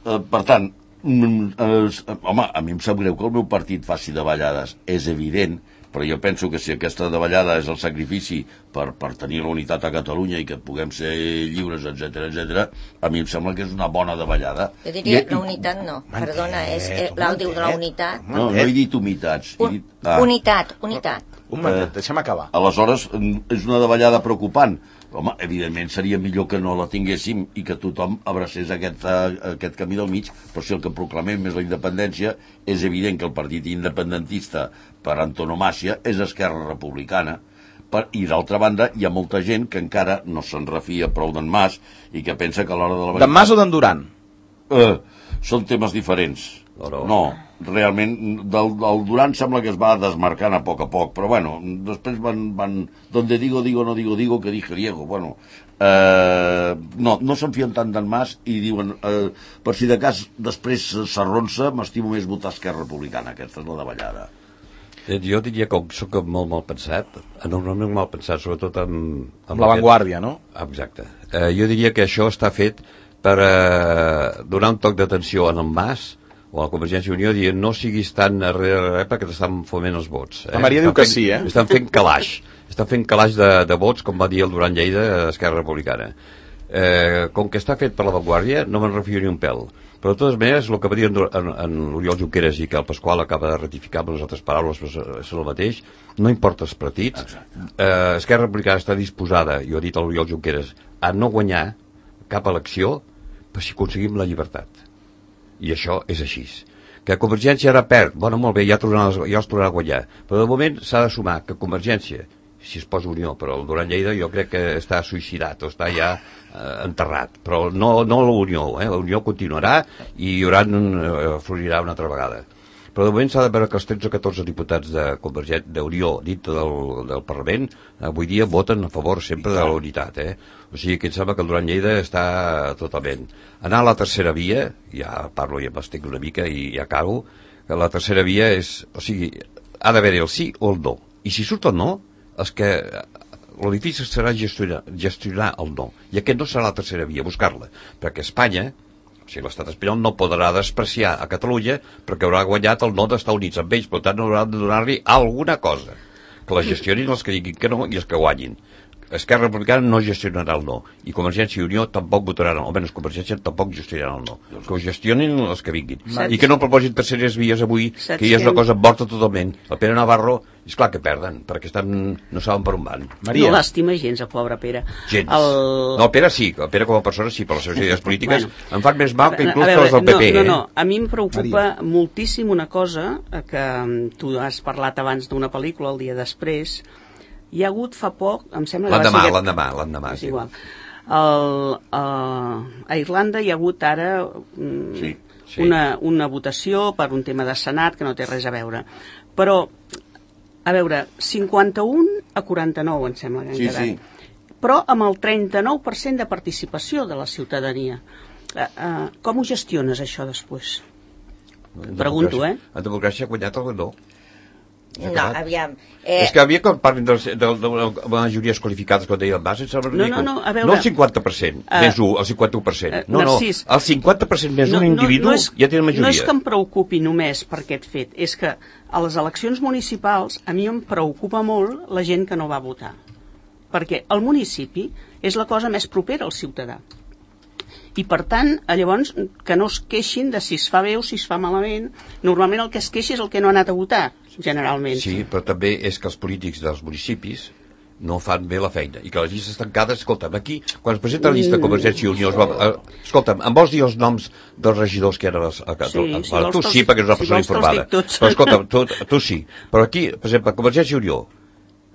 Eh, per tant, mm, eh, home, a mi em sap greu que el meu partit faci davallades, és evident, però jo penso que si aquesta davallada és el sacrifici per, per tenir la unitat a Catalunya i que puguem ser lliures, etc etc, a mi em sembla que és una bona davallada. Jo diria I- la unitat no, Momentet, perdona, és eh, l'àudio de la unitat. No, no he dit humitats. He Un, dit, ah. unitat, unitat. Un momentet, deixa'm acabar. Aleshores, mm, és una davallada preocupant. Home, evidentment seria millor que no la tinguéssim i que tothom abracés aquest, uh, aquest camí del mig, però si el que proclamem és la independència, és evident que el partit independentista per antonomàcia és Esquerra Republicana. Per, I d'altra banda, hi ha molta gent que encara no se'n refia prou d'en Mas i que pensa que a l'hora de la D'en Mas o d'en Duran? Eh, són temes diferents. No, no realment, del, del Duran sembla que es va desmarcant a poc a poc, però bueno, després van, van donde digo, digo, no digo, digo, que dije Diego, bueno, eh, no, no se'n fien tant d'en Mas i diuen, eh, per si de cas després s'arronsa, m'estimo més votar Esquerra Republicana, aquesta és la davallada. Jo diria que soc molt mal pensat, enormement mal pensat, sobretot amb... Amb l'avantguàrdia, no? Exacte. Eh, jo diria que això està fet per eh, donar un toc d'atenció en el Mas o a la Convergència i Unió, dient no siguis tan darrere perquè t'estan foment els vots. Eh? La Maria diu que sí, eh? Estan fent calaix. Estan fent calaix de, de vots, com va dir el Duran Lleida a Esquerra Republicana. Eh, com que està fet per l'avantguàrdia, no me'n refio ni un pèl. Però de totes maneres, el que va dir en, en, en Oriol Junqueras i que el Pasqual acaba de ratificar amb les altres paraules, és el mateix, no importa els partits. Eh, Esquerra Republicana està disposada, i ho ha dit l'Oriol Junqueras, a no guanyar cap elecció per si aconseguim la llibertat. I això és així. Que Convergència ara perd, bueno, molt bé, ja, tornarà, ja els tornarà a guanyar, però de moment s'ha de sumar que Convergència, si es posa Unió, però el Duran Lleida jo crec que està suïcidat o està ja eh, enterrat, però no, no la Unió, eh? La Unió continuarà i hi haurà, eh, florirà una altra vegada. Però de moment s'ha de veure que els tretze o catorze diputats de Convergència d'Unió dintre del, del Parlament avui dia voten a favor sempre de la unitat, eh? O sigui que em sembla que el Duran Lleida està totalment. Anar a la tercera via, ja parlo i m'estic una mica i ja acabo, que la tercera via és, o sigui, ha d'haver-hi el sí o el no. I si surt el no, és que el difícil serà gestionar, gestionar el no, i aquest no serà la tercera via, buscar-la, perquè Espanya, o sigui, l'estat espanyol no podrà despreciar a Catalunya perquè haurà guanyat el no d'estar units amb ells, per tant haurà de donar-li alguna cosa, que la gestionin els que diguin que no i els que guanyin. Esquerra Republicana no gestionarà el no, i Convergència i Unió tampoc votaran, o almenys Convergència tampoc gestionarà el no, que ho gestionin els que vinguin, Saps? I que no proposin terceres vies avui, Saps que ja és una que... cosa morta totalment. El Pere Navarro, és clar que perden, perquè estan, no saben per on van. Maria. No l'estima gens, el pobre Pere. Gens. El... No, el Pere sí, el Pere com a persona sí, per les seves idees polítiques bueno, em fan més mal que inclús veure, les del P P. No, no, no, eh? a mi em preocupa Maria. moltíssim una cosa, que tu has parlat abans d'una pel·lícula, el dia després. Hi ha hagut fa poc, em sembla... L'endemà, que... l'endemà, l'endemà. És igual. El, uh, a Irlanda hi ha hagut ara um, sí, sí. Una, una votació per un tema de Senat que no té res a veure. Però, a veure, cinquanta-un a quaranta-nou, em sembla que han sí, quedat. Sí. Però amb el trenta-nou per cent de participació de la ciutadania. Uh, uh, com ho gestiones, això, després? Pregunto, eh? En democràcia ha guanyat el no. No, aviam. Eh... És que havia que parlin de, de, de, de majories qualificades, com deia el Mas, no, no, no, a veure, no el cinquanta per cent uh, més un, el cinquanta per cent. Uh, no, Narcís, no, el cinquanta per cent més no, un individu no, no és, ja té majoria. No és que em preocupi només per aquest fet, és que a les eleccions municipals a mi em preocupa molt la gent que no va votar. Perquè el municipi és la cosa més propera al ciutadà. I per tant, llavors, que no es queixin de si es fa bé o si es fa malament. Normalment el que es queixa és el que no ha anat a votar, generalment. Sí, però també és que els polítics dels municipis no fan bé la feina, i que les llistes tancades, escolta'm, aquí, quan es presenta la llista de Convergència i Unió, es va, eh, escolta'm, em vols dir els noms dels regidors que eren a, a, a, sí, a, si a tu sí, perquè és una si persona informada, però escolta'm, tu, tu sí, però aquí, per exemple, Convergència i Unió,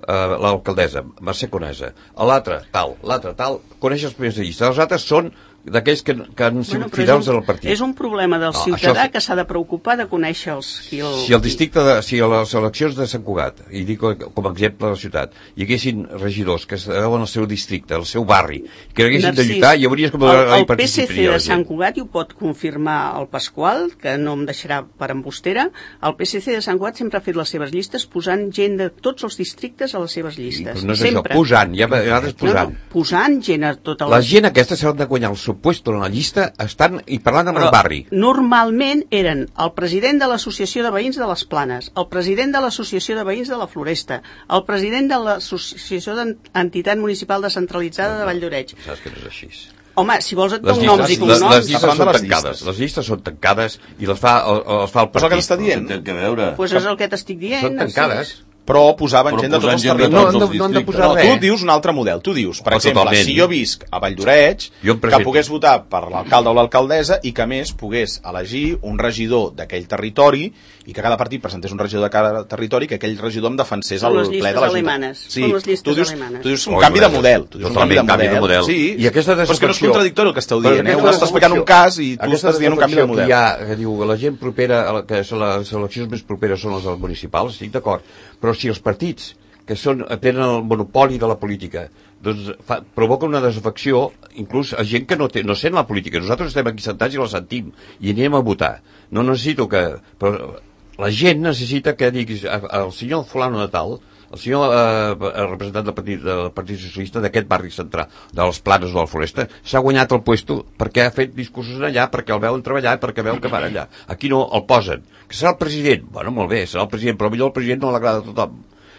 eh, l'alcaldessa, Mercè Conesa, l'altre tal, l'altre tal, coneix els primers de llista, els altres són d'aquells que, que han sigut bueno, fidels al partit. És un problema del no, ciutadà sí. que s'ha de preocupar de conèixer els... Qui el... Si el districte, de, si a les eleccions de Sant Cugat, i dic com a exemple de la ciutat, hi haguessin regidors que estaven al seu districte, al seu barri, que haguessin Narcís, de lluitar, hi hauries com el, el P S C de Sant Cugat, i ho pot confirmar el Pasqual, que no em deixarà per embustera, el P S C de Sant Cugat sempre ha fet les seves llistes posant gent de tots els districtes a les seves llistes. Sí, no és sempre. això, posant, ja a vegades posant. No, no, posant gent a tota la... La gent aquesta s'ha de guanyar el seu puesto en la llista estan i parlant amb Però el barri. Normalment eren el president de l'Associació de Veïns de les Planes, el president de l'Associació de Veïns de la Floresta, el president de l'Associació d'Entitat Municipal Descentralitzada de Valldoreix. Saps que no és així. Home, si vols et dono noms i cognoms... Les, les llistes són tancades, les llistes són tancades i les fa, els fa el partit. Però què t'està dient? Té que veure. Pues és el que t'estic dient. Són tancades. però posaven gent de tots els territoris. No, no han de posar res. Tu dius un altre model. Tu dius, per exemple, si jo visc a Valldoreix, que pogués votar per l'alcalde o l'alcaldessa i que, a més, pogués elegir un regidor d'aquell territori i que cada partit presentés un regidor de cada territori, que aquell regidor em defensés el ple de l'Ajuntament. Sí, tu dius, tu dius un canvi de model. Tu dius un canvi de model. Sí, i aquesta però és que no és contradictori el que esteu dient, eh? Un està explicant un cas i tu estàs dient un canvi de model. Que diu, la gent propera, que les eleccions més properes són les municipals, estic d'acord, però si els partits que són, tenen el monopoli de la política doncs fa, provoca una desafecció inclús a gent que no, té, no sent la política. Nosaltres estem aquí sentats i la sentim i anirem a votar. No necessito que... Però la gent necessita que diguis el senyor fulano de tal, el senyor eh, representant del Partit, del Partit Socialista d'aquest barri central, de les Planes o de la Floresta, s'ha guanyat el puesto perquè ha fet discursos allà, perquè el veuen treballar, perquè veuen que van allà. Aquí no el posen. Que serà el president? Bueno, molt bé, serà el president, però millor el president no l'agrada a tothom.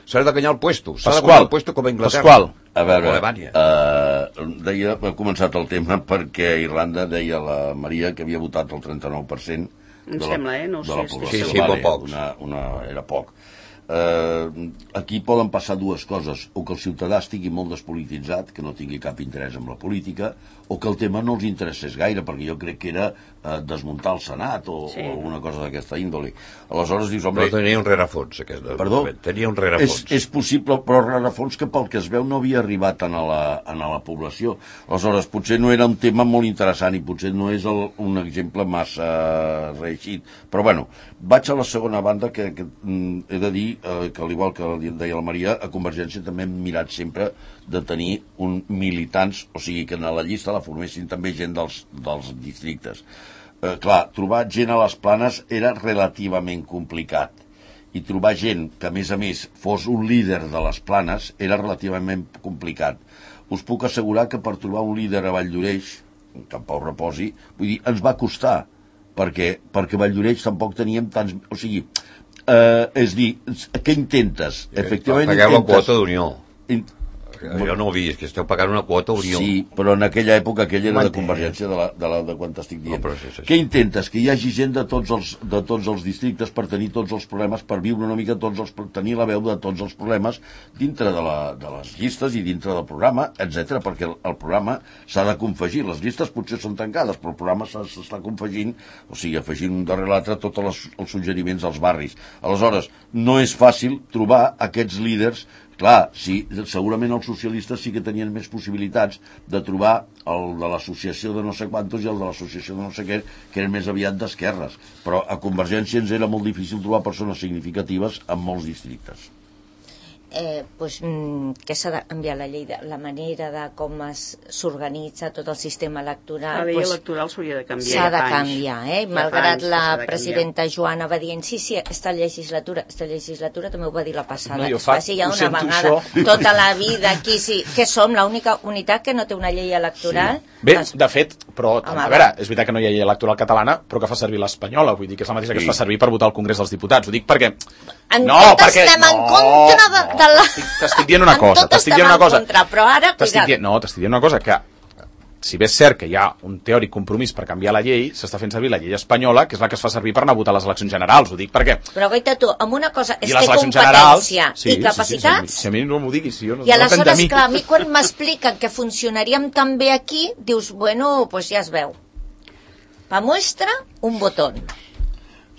S'ha de guanyar el puesto. S'ha de guanyar el puesto com a Anglaterra. Pasqual. A veure, uh, deia, ha començat el tema perquè a Irlanda deia la Maria que havia votat el trenta-nou per cent em sembla, eh? No ho sé. Sí, sí, vale, una, una, era poc. Uh, aquí poden passar dues coses, o que el ciutadà estigui molt despolititzat, que no tingui cap interès en la política, o que el tema no els interessés gaire, perquè jo crec que era uh, desmuntar el Senat o, sí. o alguna cosa d'aquesta índole. Aleshores dius, home... Però tenia un rerefons, aquest. Perdó? Tenia un rerefons. És, és possible, però rerefons que pel que es veu no havia arribat a la, a la població. Aleshores, potser no era un tema molt interessant i potser no és el, un exemple massa reeixit. Però bueno, vaig a la segona banda que, que mm, he de dir eh, que, al igual que deia la Maria, a Convergència també hem mirat sempre de tenir un militants, o sigui que en la llista la formessin també gent dels, dels districtes. Eh, clar, trobar gent a les Planes era relativament complicat i trobar gent que a més a més fos un líder de les Planes era relativament complicat. Us puc assegurar que per trobar un líder a Valldoreix, que en Pau reposi, vull dir, ens va costar, perquè, perquè a Valldoreix tampoc teníem tants... O sigui, eh, és dir, què intentes? Efectivament pagueu la quota d'unió. In... Jo no ho he vist, que esteu pagant una quota Unió. Sí, però en aquella època aquella era de Convergència, de, la, de, la, de quan t'estic dient. No, sí, sí, sí. Què intentes? Que hi hagi gent de tots, els, de tots els districtes per tenir tots els problemes, per viure una mica tots els, per tenir la veu de tots els problemes dintre de, la, de les llistes i dintre del programa, etcètera, perquè el, el programa s'ha de confegir. Les llistes potser són tancades, però el programa s'està confegint, o sigui, afegint un darrere l'altre tots les, els suggeriments als barris. Aleshores, no és fàcil trobar aquests líders. Clar, sí, segurament els socialistes sí que tenien més possibilitats de trobar el de l'associació de no sé quantos i el de l'associació de no sé què, que eren més aviat d'esquerres. Però a Convergència ens era molt difícil trobar persones significatives en molts districtes. Eh, pues, mm, que s'ha de canviar la llei, de, la manera de com s'organitza tot el sistema electoral. La llei pues, electoral s'hauria de canviar. S'ha de canviar, eh? Malgrat la presidenta Joana va dient sí, sí, aquesta legislatura, aquesta legislatura també ho va dir la passada. No, fa, sí, ja una vegada, això. Tota la vida aquí, sí, que som l'única unitat que no té una llei electoral. Sí. Bé, doncs, de fet, però, home, a veure, és veritat que no hi ha llei electoral catalana, però que fa servir l'espanyola, vull dir que és la mateixa que sí. Es fa servir per votar al Congrés dels Diputats. Ho dic perquè... En no, perquè... estem no, en contra de, de la... T'estic dient una cosa, t'estic dient una cosa. Contra, però ara, dient, no, t'estic dient una cosa, que si bé és cert que hi ha un teòric compromís per canviar la llei, s'està fent servir la llei espanyola, que és la que es fa servir per anar a votar a les eleccions generals, ho dic perquè... Però goita tu, amb una cosa és que competència sí, i capacitats... Sí, sí, si a mi no m'ho diguis, si jo no... I aleshores, clar, a mi quan m'expliquen que funcionaríem tan bé aquí, dius, bueno, pues ja es veu. Pa muestra, un botón.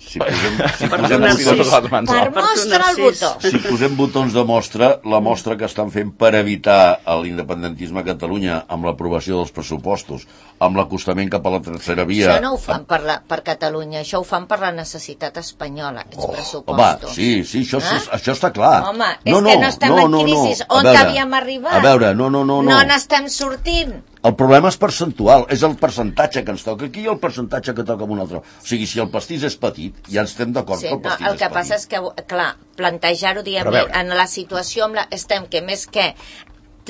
Si posem, si per posem botons, per mostra el botó. Si posem botons de mostra, la mostra que estan fent per evitar l'independentisme a Catalunya amb l'aprovació dels pressupostos, amb l'acostament cap a la tercera via... Això no ho fan per, la, per Catalunya, això ho fan per la necessitat espanyola, aquests oh, pressupostos. Home, sí, sí, això, eh? això està clar. Home, és no, no, que no estem no, en crisi. No, no. On havíem arribat? A veure, no, no, no. No n'estem sortint. El problema és percentual, és el percentatge que ens toca aquí i el percentatge que toca amb un altre. O sigui, si el pastís és petit, ja ens estem d'acord sí, que el pastís no, el és que petit. Passa és que, clar, plantejar-ho, diguem, en la situació amb la, estem que més que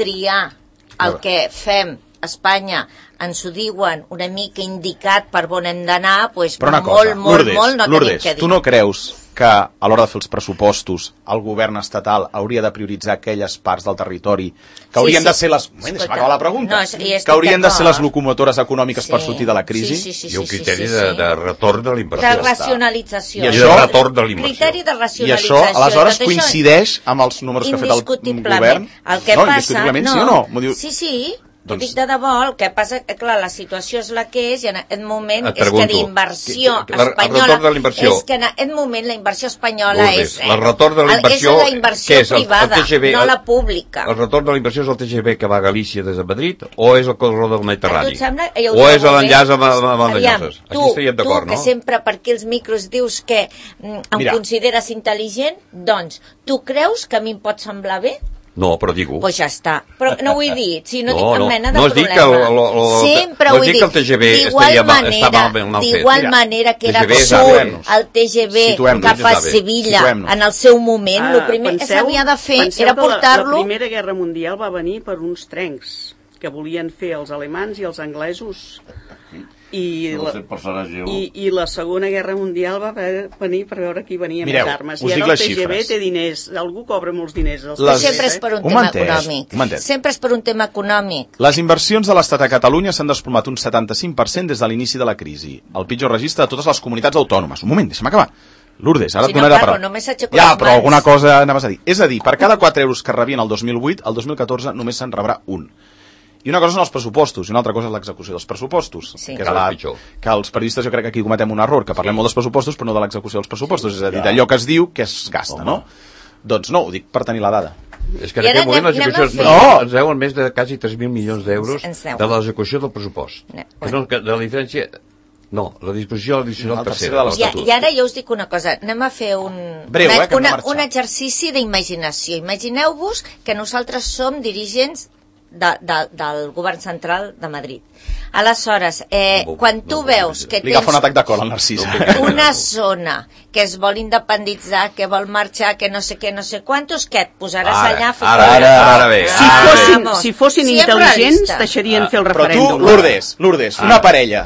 triar el que fem a Espanya, ens ho diuen una mica indicat per on hem d'anar, doncs molt, cosa, molt, Lourdes, molt no Lourdes, tenim què dir. Tu no creus que a l'hora de fer els pressupostos el govern estatal hauria de prioritzar aquelles parts del territori que haurien sí, sí. de ser les... Moment, deixa'm acabar la pregunta. No, que haurien de ser les locomotores econòmiques sí. per sortir de la crisi. Sí, sí, sí, I un criteri sí, sí, sí. De, de retorn de l'inversió. De racionalització. I això, de retorn de l'inversió. Criteri de racionalització. I això, aleshores, coincideix amb els números que ha fet el govern? El que no, passa... indiscutiblement, no, sí o no? M'ho diu... Sí, sí. Doncs... dic de debò, el que passa que, clar, la situació és la que és i en aquest moment és que d'inversió espanyola és que en aquest moment la inversió espanyola és, eh, el retorn de la inversió, és la inversió és privada, el, el T G V, no la pública. El retorn de la inversió és el T G V que va a Galícia des de Madrid o és el corredor del Mediterrani? Sembla, o és l'enllaç amb, amb el Lloses? Aquí estaríem d'acord, no? Tu, que sempre per aquí els micros dius que mm, em Mira. consideres intel·ligent, doncs, tu creus que a mi em pot semblar bé? No, però dic-ho. Doncs pues ja està. Però no ho he dit, si no, no dic cap no, mena de no problema. Que lo, lo, lo, Sempre no ho he dit. D'igual manera, d'igual manera que era absurd el T G V cap a Sevilla en el seu moment, el primer que s'havia de fer era portar-lo... La Primera Guerra Mundial va venir per uns trencs que volien fer els alemans i els anglesos. I la, i, i la Segona Guerra Mundial va venir per veure qui venia Mireu, més armes. I ara el T G V té diners, algú cobra molts diners. Els les... Sempre és per un, un tema entès, econòmic. Sempre és per un tema econòmic. Les inversions de l'Estat a Catalunya s'han desplomat un setanta-cinc per cent des de l'inici de la crisi. El pitjor registre de totes les comunitats autònomes. Un moment, deixa'm acabar. Lourdes, ara si et donaré no parlo, la paraula. Ja, però mans. Alguna cosa anaves a dir. És a dir, per cada quatre euros que rebien el dos mil vuit, el dos mil catorze només se'n rebrà un. I una cosa són els pressupostos, i una altra cosa és l'execució dels pressupostos. Sí. Que, és la, que els periodistes jo crec que aquí cometem un error, que parlem sí. molt dels pressupostos però no de l'execució dels pressupostos. És a dir, d'allò que es diu que es gasta, Home. no? Doncs no, ho dic per tenir la dada. És que en aquest moment l'execució no, ens deuen més de quasi tres mil milions d'euros de l'execució del pressupost. No. Que no, que de la diferència... No, la disposició addicional tercera de l'Estatut. I, I ara jo us dic una cosa, anem a fer un, Breu, una, eh, una, un exercici d'imaginació. Imagineu-vos que nosaltres som dirigents De, de, del govern central de Madrid. Aleshores, eh, no, quan tu no, veus que tens un atac de cor al Narcís. una zona que es vol independitzar, que vol marxar, que no sé què, no sé quantos, què et posaràs ara, allà? Ara, ara, ara bé. Si ara fossin, bé. Si fossin intel·ligents, deixarien ah, fer el referèndum. Però tu, Lourdes, Lourdes, ah. una parella,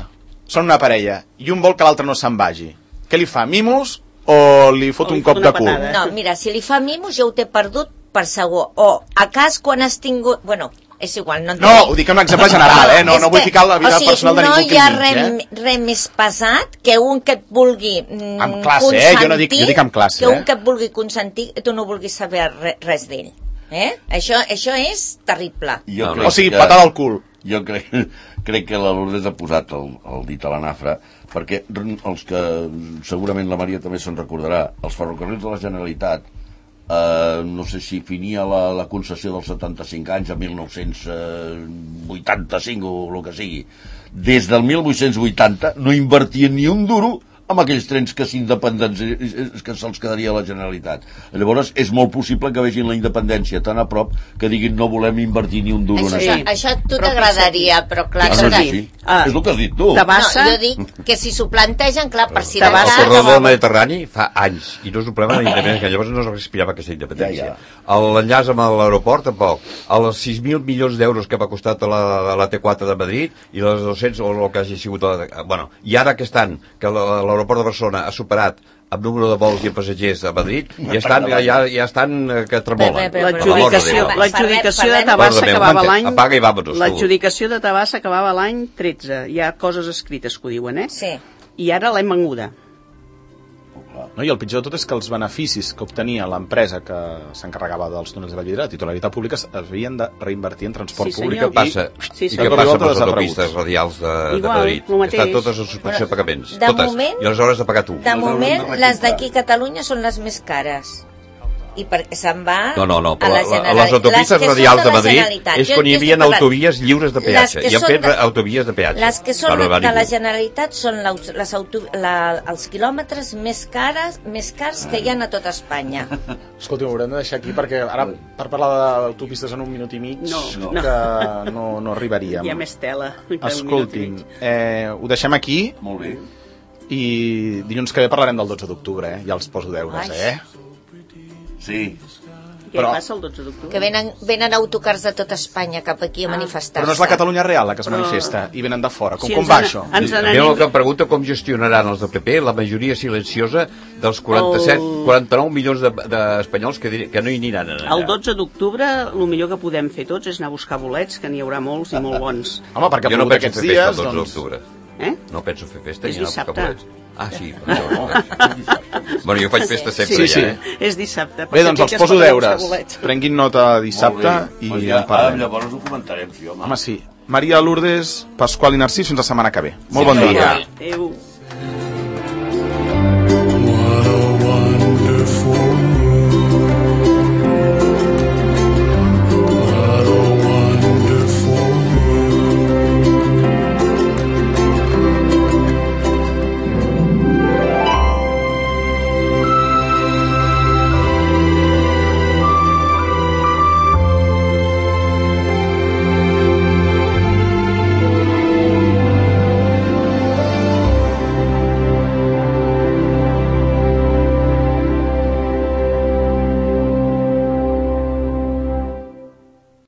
són una parella, i un vol que l'altre no se'n vagi. Què li fa, mimos o li fot o li un cop de cul? No, mira, si li fa mimos jo ho t'he perdut per segur. O a cas quan has tingut... Bueno, és igual, no... No, ho dic en un exemple general, eh? No, no vull ficar la vida o sigui, personal de ningú que no hi ha res eh? re més pesat que un que et vulgui mm, amb classe, consentir, eh? Jo no dic, jo dic amb classe, que un eh? que et vulgui consentir i tu no vulguis saber re, res d'ell. Eh? Això, això és terrible. Jo no, o sigui, que, patada al cul. Jo crec, crec que la Lourdes ha posat el, el dit a la nafra, perquè els que segurament la Maria també se'n recordarà, els ferrocarrils de la Generalitat, Uh, no sé si finia la, la concessió dels setanta-cinc anys a mil nou-cents vuitanta-cinc o el que sigui. Des del mil vuit-cents vuitanta no invertien ni un duro amb aquells trens que s'independents que se'ls quedaria a la Generalitat. Llavors és molt possible que vegin la independència tan a prop que diguin no volem invertir ni un duro això, en això. Això a tu t'agradaria, però clar... Ah, no, sí, sí. Ah, és el que has dit tu. Tabassa... No, jo dic que si s'ho plantegen, clar, per si... El corredor del Mediterrani fa anys i no és un problema de la independència, llavors no es respirava aquesta independència. Ja, ja. L'enllaç amb l'aeroport tampoc. Els sis mil milions d'euros que va costar la, la T quatre de Madrid i les dos-cents o el que hagi sigut... La, bueno, i ara que estan, que l'aeroport de Barcelona ha superat amb número de vols i passatgers a Madrid i estan, ja, ja estan que tremolen. L'adjudicació l'adjudicació de Tabassa acabava l'any apaga i vámonos. L'adjudicació de Tabassa acabava l'any tretze. Hi ha coses escrites que ho diuen, eh? Sí. I ara l'hem venguda. No, i el pitjor de tot és que els beneficis que obtenia l'empresa que s'encarregava dels túnels de Vallvidrera, titularitat pública, es havien de reinvertir en transport sí, públic. I què passa, sí, i què passa amb les autopistes radials de, Igual, de Madrid? Estan totes en suspensió de pagaments. De totes. Moment, I aleshores de pagar tu. De moment, les d'aquí a Catalunya són les més cares. I perquè se'n va no, no, no, a la Generalitat. Les autopistes radials de Madrid és quan hi havia autovies lliures de peatge. I han fet de, autovies de peatge. Les que són de la Generalitat són les auto, la, els quilòmetres més cares, més cars que hi ha a tota Espanya. Escolti, ho haurem de deixar aquí perquè ara per parlar d'autopistes en un minut i mig no, no. que no, no arribaríem. Hi ha més tela. Escolti'm, eh, ho deixem aquí. Molt bé. I dilluns que ve parlarem del dotze d'octubre, eh? Ja els poso deures, eh? Sí. Què però... passa el dotze d'octubre? Que venen, venen autocars de tota Espanya cap aquí a ah. manifestar-se. Però no és la Catalunya real la que es però... manifesta i venen de fora. Com, sí, com va an... això? Ens a mi el que em pregunta com gestionaran els del P P la majoria silenciosa dels quaranta-set, el... quaranta-nou milions d'espanyols de, de que, que no hi aniran allà. El dotze d'octubre el millor que podem fer tots és anar a buscar bolets, que n'hi haurà molts i molt bons. Home, perquè jo no penso fer dies, festa el dotze doncs... d'octubre. Eh? No penso fer festa és i anar a buscar bolets. Ah, sí. No, bueno, jo faig festa sempre sí, sí. ja, eh? És dissabte. Bé, doncs els poso deures. Prenguin nota dissabte i pues ja, en parlem. Llavors ho comentarem, sí, home. Home, sí. Maria Lourdes, Pasqual i Narcís, fins la setmana que ve. Molt bon dia. Adéu.